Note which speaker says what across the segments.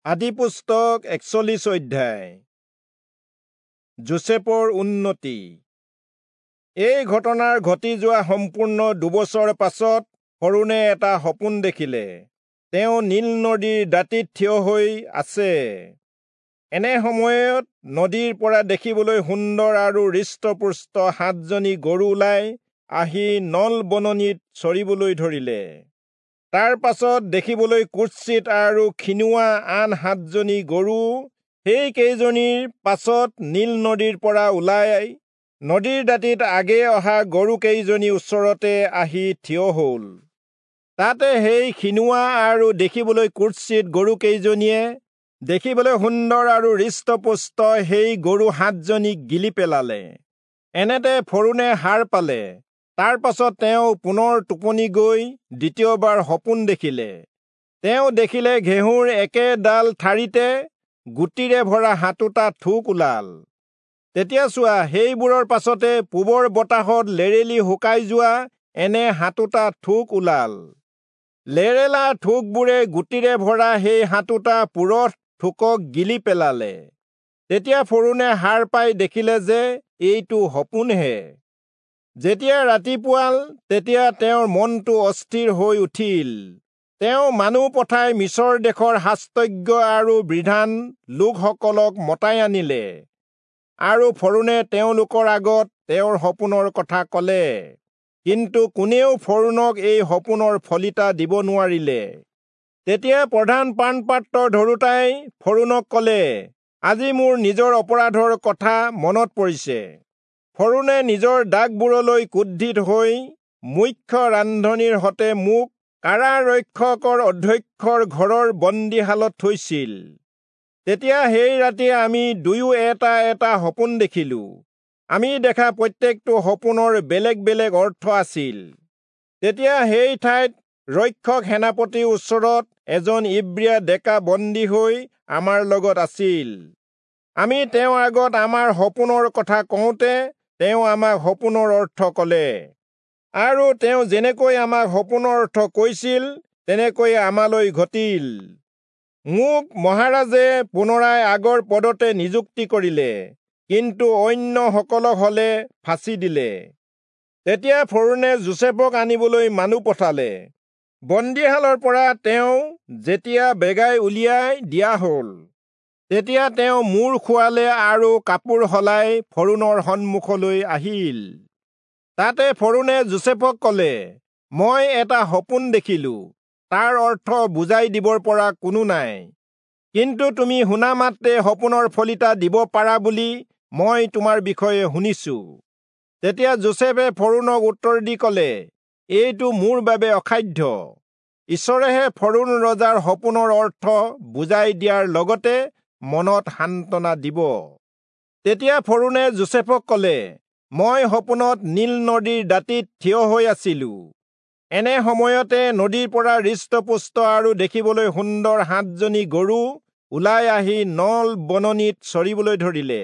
Speaker 1: আদিপুস্তক 41 অধ্যায়। যোচেফৰ উন্নতি। এই ঘটনাৰ ঘটি যোৱা সম্পূৰ্ণ 2 বছৰ পাছত ফৰোণে এটা সপোন দেখিলে। তেওঁ নীল নদীৰ দাঁতিত থিয় হৈ আছে। এনে সময়ত নদীৰ পৰা দেখিবলৈ সুন্দৰ আৰু হৃষ্টপুষ্ট 7জনী গৰু ওলাই আহি নল বননিত চৰিবলৈ ধৰিলে। তাৰ পাছত দেখিবলৈ কুৎসিত আৰু ক্ষীণোৱা আন 7জনী গৰু সেই কেইজনীৰ পাছত নীল নদীৰ পৰা ওলাই নদীৰ দাঁতিত আগে অহা গৰু কেইজনী ওচৰতে আহি থিয় হ'ল। তাতে সেই ক্ষীণোৱা আৰু দেখিবলৈ কুৎসিত গৰু কেইজনীয়ে দেখিবলৈ সুন্দৰ আৰু হৃষ্টপুষ্ট সেই গৰু 7জনীক গিলি পেলালে। এনেতে ফৰোণে সাৰ পালে। তাৰ পাছত তেওঁ পুনৰ টোপনি গৈ দ্বিতীয়বাৰ সপোন দেখিলে। তেওঁ দেখিলে ঘেঁহুৰ একেডাল ঠাৰিতে গুটিৰে ভৰা 7টা থোক ওলাল। তেতিয়া চোৱা, সেইবোৰৰ পাছতে পূবৰ বতাহত লেৰেলি শুকাই যোৱা এনে 7টা থোক ওলাল। লেৰেলা থোকবোৰে গুটিৰে ভৰা সেই 7টা পুৰঠ থোকক গিলি পেলালে। তেতিয়া ফৰোণে সাৰ পাই দেখিলে যে এইটো সপোনহে। যেতিয়া ৰাতিপুৱাল তেতিয়া তেওঁৰ মনটো অস্থিৰ হৈ উঠিল। তেওঁ মানুহ পঠাই মিছৰ দেশৰ শাস্ত্ৰজ্ঞ আৰু বিধান লোকসকলক মতাই আনিলে আৰু ফৰোণে তেওঁলোকৰ আগত তেওঁৰ সপোনৰ কথা কলে। কিন্তু কোনেও ফৰোণক এই সপোনৰ ফলিতা দিব নোৱাৰিলে। তেতিয়া প্ৰধান পানপাত্ৰ ধৰোঁতাই ফৰোণক কলে, আজি মোৰ নিজৰ অপৰাধৰ কথা মনত পৰিছে। ফৰোণে নিজৰ দাগবোৰলৈ ক্ৰোধিত হৈ মুখ্য ৰান্ধনীৰ সতে মোক কাৰাৰক্ষকৰ অধ্যক্ষৰ ঘৰৰ বন্দীশালত থৈছিল। তেতিয়া সেই ৰাতি আমি দুয়ো এটা এটা সপোন দেখিলো। আমি দেখা প্ৰত্যেকটো সপোনৰ বেলেগ বেলেগ অৰ্থ আছিল। তেতিয়া সেই ঠাইত ৰক্ষক সেনাপতিৰ ওচৰত এজন ইব্ৰীয়া ডেকা বন্দী হৈ আমাৰ লগত আছিল। আমি তেওঁৰ আগত আমাৰ সপোনৰ কথা কওঁতে তেওঁ আমাক সপোনৰ অৰ্থ কলে, আৰু তেওঁ যেনেকৈ আমাক সপোনৰ অৰ্থ কৈছিল তেনেকৈ আমালৈ ঘটিল। মোক মহাৰাজে পুনৰাই আগৰ পদতে নিযুক্তি কৰিলে, কিন্তু অন্যসকলক হলে ফাঁচি দিলে। তেতিয়া ফৰোণে যোচেফক আনিবলৈ মানুহ পঠালে। বন্দীশালৰ পৰা তেওঁ যেতিয়া বেগাই উলিয়াই দিয়া হল, তেতিয়া তেওঁ মূৰ খুৱালে আৰু কাপোৰ সলাই ফৰোণৰ সন্মুখলৈ আহিল। তাতে ফৰোণে যোচেফক কলে, মই এটা সপোন দেখিলো, তাৰ অৰ্থ বুজাই দিবৰ পৰা কোনো নাই। কিন্তু তুমি শুনা মাত্ৰে সপোনৰ ফলিতা দিব পাৰা বুলি মই তোমাৰ বিষয়ে শুনিছো। তেতিয়া যোচেফে ফৰোণক উত্তৰ দি কলে, এইটো মোৰ বাবে অসাধ্য। ঈশ্বৰেহে ফৰোণ ৰজাৰ সপোনৰ অৰ্থ বুজাই দিয়াৰ লগতে মনত সান্তনা দিব। তেতিয়া ফৰোণে যোচেফক কলে, মই সপোনত নীল নদীৰ দাঁতিত থিয় হৈ আছিলো। এনে সময়তে নদীৰ পৰা হৃষ্টপুষ্ট আৰু দেখিবলৈ সুন্দৰ 7জনী গৰু ওলাই আহি নল বননিত চৰিবলৈ ধৰিলে।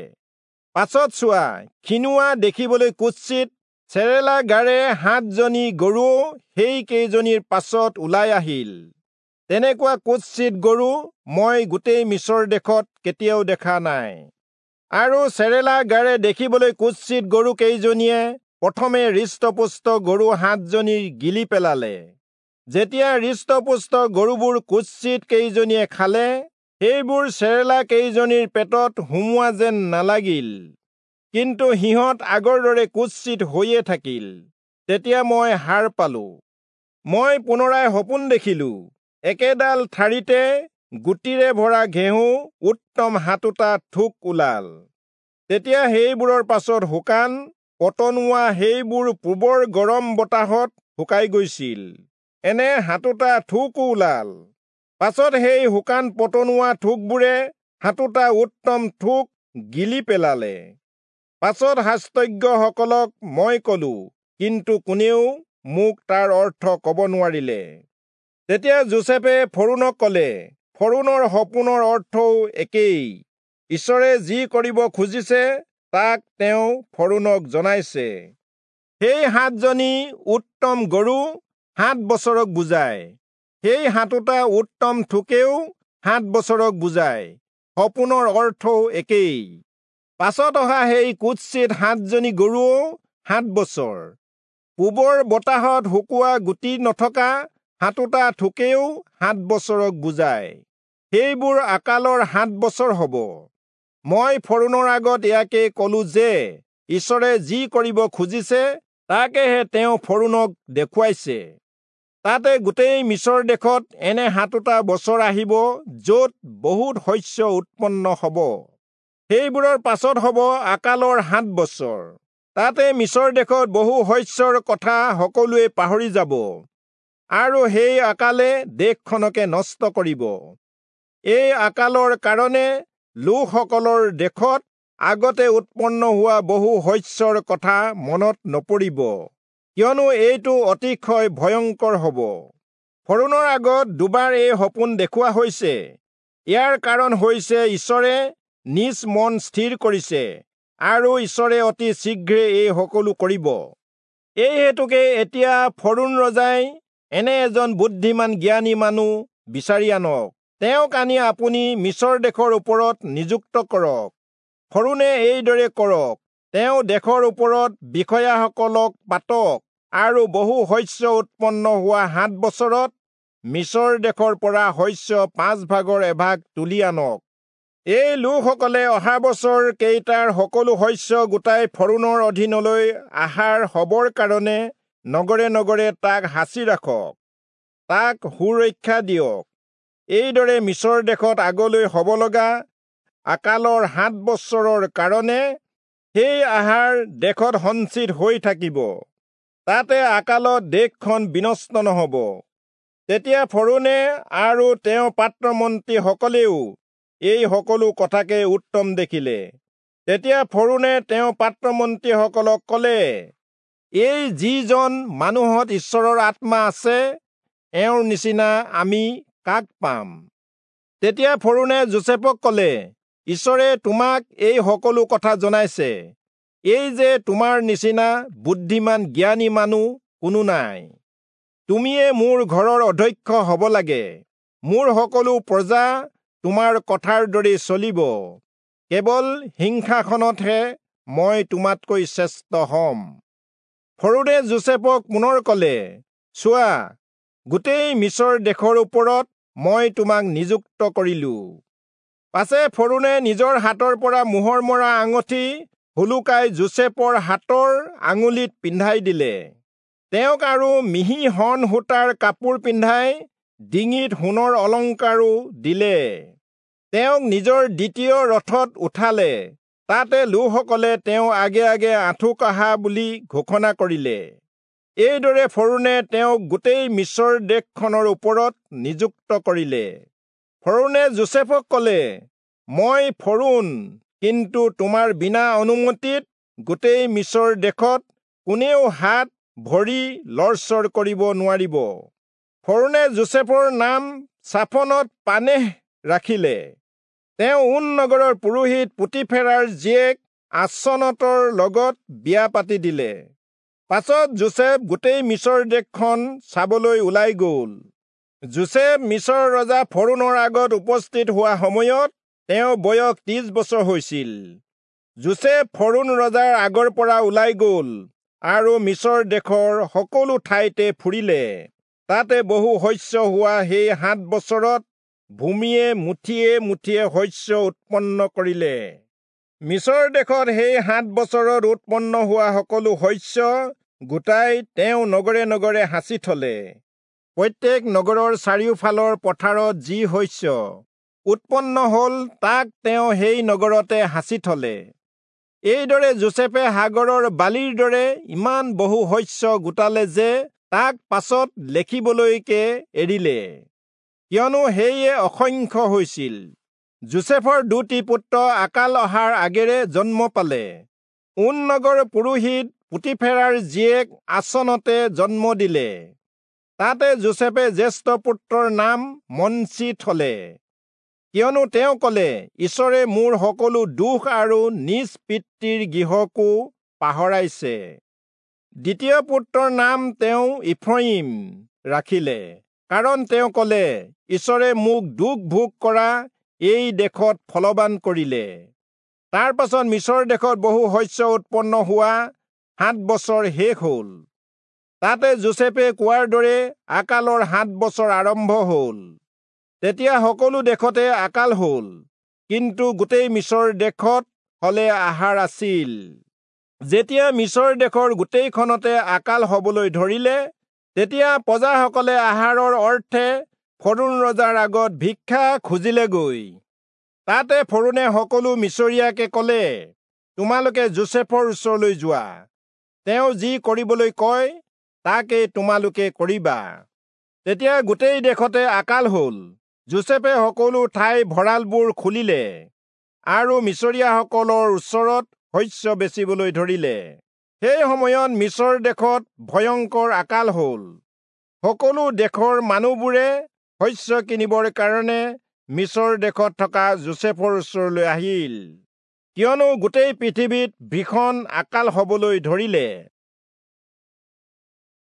Speaker 1: পাছত চোৱা, ক্ষীণোৱা দেখিবলৈ কুৎসিত চেৰেলা গাৰে 7জনী গৰু সেই কেইজনীৰ পাছত ওলাই আহিল। তেনেকুৱা কুৎসিত গৰু মই গোটেই মিছৰ দেশত কেতিয়াও দেখা নাই। আৰু চেৰেলা গাৰে দেখিবলৈ কুৎসিত গৰু কেইজনীয়ে প্ৰথমে হৃষ্টপুষ্ট গৰু 7জনীৰ গিলি পেলালে। যেতিয়া হৃষ্টপুষ্ট গৰুবোৰ কুৎসিত কেইজনীয়ে খালে, সেইবোৰ চেৰেলা কেইজনীৰ পেটত সোমোৱা যেন নালাগিল, কিন্তু সিহঁত আগৰ দৰে কুৎসিত হৈয়ে থাকিল। তেতিয়া মই সাৰ পালো। মই পুনৰাই সপোন দেখিলো, একেডাল ঠাৰিতে গুটিৰে ভৰা ঘেঁহু উত্তম 7টা থোক ওলাল। তেতিয়া সেইবোৰৰ পাছত শুকান পতনোৱা সেইবোৰ পূবৰ গৰম বতাহত শুকাই গৈছিল, এনে 7টা থোকো ওলাল। পাছত সেই শুকান পতনোৱা থোকবোৰে 7টা উত্তম থোক গিলি পেলালে। পাছত শাস্ত্ৰজ্ঞসকলক মই কলো, কিন্তু কোনেও মোক তাৰ অৰ্থ কব নোৱাৰিলে। তেতিয়া যোচেফে ফৰোণক কলে, ফৰোণৰ সপোনৰ অৰ্থও একেই। ঈশ্বৰে যি কৰিব খুজিছে তাক তেওঁ ফৰোণক জনাইছে। সেই 7জনী উত্তম গৰু 7 বছৰক বুজায়। সেই 7টা উত্তম থোকেও 7 বছৰক বুজায়, সপোনৰ অৰ্থও একেই। পাছত অহা সেই কুৎসিত 7জনী গৰুও 7 বছৰ। পূবৰ বতাহত শুকোৱা গুটি নথকা 7টা থোকেও 7 বছৰক বুজায়। সেইবোৰ আকালৰ 7 বছৰ হ'ব। মই ফৰোণৰ আগত ইয়াকে কলো যে ঈশ্বৰে যি কৰিব খুজিছে তাকেহে তেওঁ ফৰোণক দেখুৱাইছে। তাতে গোটেই মিছৰ দেশত এনে 7টা বছৰ আহিব য'ত বহুত শস্য উৎপন্ন হ'ব। সেইবোৰৰ পাছত হ'ব আকালৰ 7 বছৰ। তাতে মিছৰ দেশত বহু শস্যৰ কথা সকলোৱে পাহৰি যাব আৰু সেই আকালে দেশখনকে নষ্ট কৰিব। এই আকালৰ কাৰণে লোকসকলৰ দেশত আগতে উৎপন্ন হোৱা বহু শস্যৰ কথা মনত নপৰিব, কিয়নো এইটো অতিশয় ভয়ংকৰ হ'ব। ফৰোণৰ আগত দুবাৰ এই সপোন দেখুওৱা হৈছে। ইয়াৰ কাৰণ হৈছে ঈশ্বৰে নিজ মন স্থিৰ কৰিছে আৰু ঈশ্বৰে অতি শীঘ্ৰে এই সকলো কৰিব। এই হেতুকে এতিয়া ফৰোণ ৰজাই এনে এজন বুদ্ধিমান জ্ঞানী মানুহ বিচাৰি আনক, তেওঁক আনি আপুনি মিছৰ দেশৰ ওপৰত নিযুক্ত কৰক। ফৰোণে এইদৰে কৰক, তেওঁ দেশৰ ওপৰত বিষয়াসকলক পাতক আৰু বহু শস্য উৎপন্ন হোৱা 7 বছৰত মিছৰ দেশৰ পৰা শস্য 5 ভাগৰ এভাগ তুলি আনক। এই লোকসকলে অহা বছৰ কেইটাৰ সকলো শস্য গোটাই ফৰোণৰ অধীনলৈ আহাৰ হবৰ কাৰণে নগৰে নগৰে তাক সাঁচি ৰাখক, তাক সুৰক্ষা দিয়ক। এইদৰে মিছৰ দেশত আগলৈ হ'ব লগা আকালৰ 7 বছৰৰ কাৰণে সেই আহাৰ দেশত সঞ্চিত হৈ থাকিব। তাতে আকালত দেশখন বিনষ্ট নহ'ব। তেতিয়া ফৰোণে আৰু তেওঁৰ পাত্ৰমন্ত্ৰীসকলেও এই সকলো কথাকে উত্তম দেখিলে। তেতিয়া ফৰোণে তেওঁৰ পাত্ৰমন্ত্ৰীসকলক ক'লে, এই যিজন মানুহত ঈশ্বৰৰ আত্মা আছে, এওঁৰ নিচিনা আমি কাক পাম? তেতিয়া ফৰোণে যোচেফক ক'লে, ঈশ্বৰে তোমাক এই সকলো কথা জনাইছে, এই যে তোমাৰ নিচিনা বুদ্ধিমান জ্ঞানী মানুহ কোনো নাই। তুমিয়ে মোৰ ঘৰৰ অধ্যক্ষ হ'ব লাগে, মোৰ সকলো প্ৰজা তোমাৰ কথাৰ দৰে চলিব। কেৱল হিংসাখনতহে মই তোমাতকৈ শ্ৰেষ্ঠ হ'ম। ফৰোণে যোচেফক পুনৰ ক'লে, চোৱা, গোটেই মিছৰ দেশৰ ওপৰত মই তোমাক নিযুক্ত কৰিলো। পাছে ফৰোণে নিজৰ হাতৰ পৰা মোহৰ মৰা আঙুঠি হুলুকাই যোচেফৰ হাতৰ আঙুলিত পিন্ধাই দিলে। তেওঁক আৰু মিহি শণ সূতাৰ কাপোৰ পিন্ধাই ডিঙিত সোণৰ অলংকাৰো দিলে। তেওঁক নিজৰ দ্বিতীয় ৰথত উঠালে। তাতে লোকসকলে তেওঁ আগে আগে আঁঠু কঢ়া বুলি ঘোষণা কৰিলে। এইদৰে ফৰোণে তেওঁক গোটেই মিছৰ দেশখনৰ ওপৰত নিযুক্ত কৰিলে। ফৰোণে যোচেফক ক'লে, মই ফৰোণ, কিন্তু তোমাৰ বিনা অনুমতিত গোটেই মিছৰ দেশত কোনেও হাত ভৰি লৰচৰ কৰিব নোৱাৰিব। ফৰোণে যোচেফৰ নাম চাফনত পানেহ ৰাখিলে। তেওঁ ওন নগৰৰ পুৰোহিত পুতিফেৰাৰ জীয়েক আচনতৰ লগত বিয়া পাতি দিলে। পাছত যোচেফ গোটেই মিছৰ দেশখন চাবলৈ ওলাই গ'ল। যোচেফ মিছৰ ৰজা ফৰোণৰ আগত উপস্থিত হোৱা সময়ত তেওঁ বয়স 30 বছৰ হৈছিল। যোচেফ ফৰোণ ৰজাৰ আগৰ পৰা ওলাই গ'ল আৰু মিছৰ দেশৰ সকলো ঠাইতে ফুৰিলে। তাতে বহু শস্য হোৱা সেই 7 বছৰত ভূমিয়ে মুঠিয়ে মুঠিয়ে শস্য উৎপন্ন কৰিলে। মিছৰ দেশত সেই 7 বছৰত উৎপন্ন হোৱা সকলো শস্য গোটাই তেওঁ নগৰে নগৰে সাঁচি থলে। প্ৰত্যেক নগৰৰ চাৰিওফালৰ পথাৰত যি শস্য উৎপন্ন হ'ল তাক তেওঁ সেই নগৰতে সাঁচি থলে। এইদৰে যোচেফে সাগৰৰ বালিৰ দৰে ইমান বহু শস্য গোটালে যে তাক পাছত লেখিবলৈকে এৰিলে, কিয়নো সেয়ে অসংখ্য হৈছিল। যোচেফৰ 2টি পুত্ৰ আকাল অহাৰ আগেৰে জন্ম পালে। ওন নগৰ পুৰোহিত পুতিফেৰাৰ জীয়েক আচনতে জন্ম দিলে। তাতে যোচেফে জ্যেষ্ঠ পুত্ৰৰ নাম মনচি থলে, কিয়নো তেওঁ ক'লে, ঈশ্বৰে মোৰ সকলো দুখ আৰু নিজ পিতৃৰ গৃহকো পাহৰাইছে। দ্বিতীয় পুত্ৰৰ নাম তেওঁ ইফ্ৰয়িম ৰাখিলে কাৰণ তেওঁ কলে, ঈশ্বৰে মোক দুখ ভোগ কৰা এই দেশত ফলৱান কৰিলে। তাৰ পাছত মিচৰ দেশত বহু শস্য উৎপন্ন হোৱা 7 বছৰ শেষ হল। তাতে যোচেফে কোৱাৰ দৰে আকালৰ 7 বছৰ আৰম্ভ হল। তেতিয়া সকলো দেশতে আকাল হল, কিন্তু গোটেই মিচৰ দেশত হলে আহাৰ আছিল। যেতিয়া মিচৰ দেশৰ গোটেইখনতে আকাল হবলৈ ধৰিলে, তেতিয়া প্ৰজাসকলে আহাৰৰ অৰ্থে ফৰৌণ ৰজাৰ আগত ভিক্ষা খুজিলেগৈ। তাতে ফৰৌণে সকলো মিচৰীয়াকে কলে, তোমালোকে যোচেফৰ ওচৰলৈ যোৱা, তেওঁ যি কৰিবলৈ কয় তাকে তোমালোকে কৰিবা। তেতিয়া গোটেই দেশতে আকাল হল। যোচেফে সকলো ঠাই ভঁৰালবোৰ খুলিলে আৰু মিচৰীয়াসকলৰ ওচৰত শস্য বেচিবলৈ ধৰিলে। সেই সময়ত মিচৰ দেশত ভয়ংকৰ আকাল হল। সকলো দেশৰ মানুহবোৰে শস্য কিনিবৰ কাৰণে মিচৰ দেশত থকা যোচেফৰ ওচৰলৈ আহিল, কিয়নো গোটেই পৃথিৱীত ভীষণ আকাল হবলৈ ধৰিলে।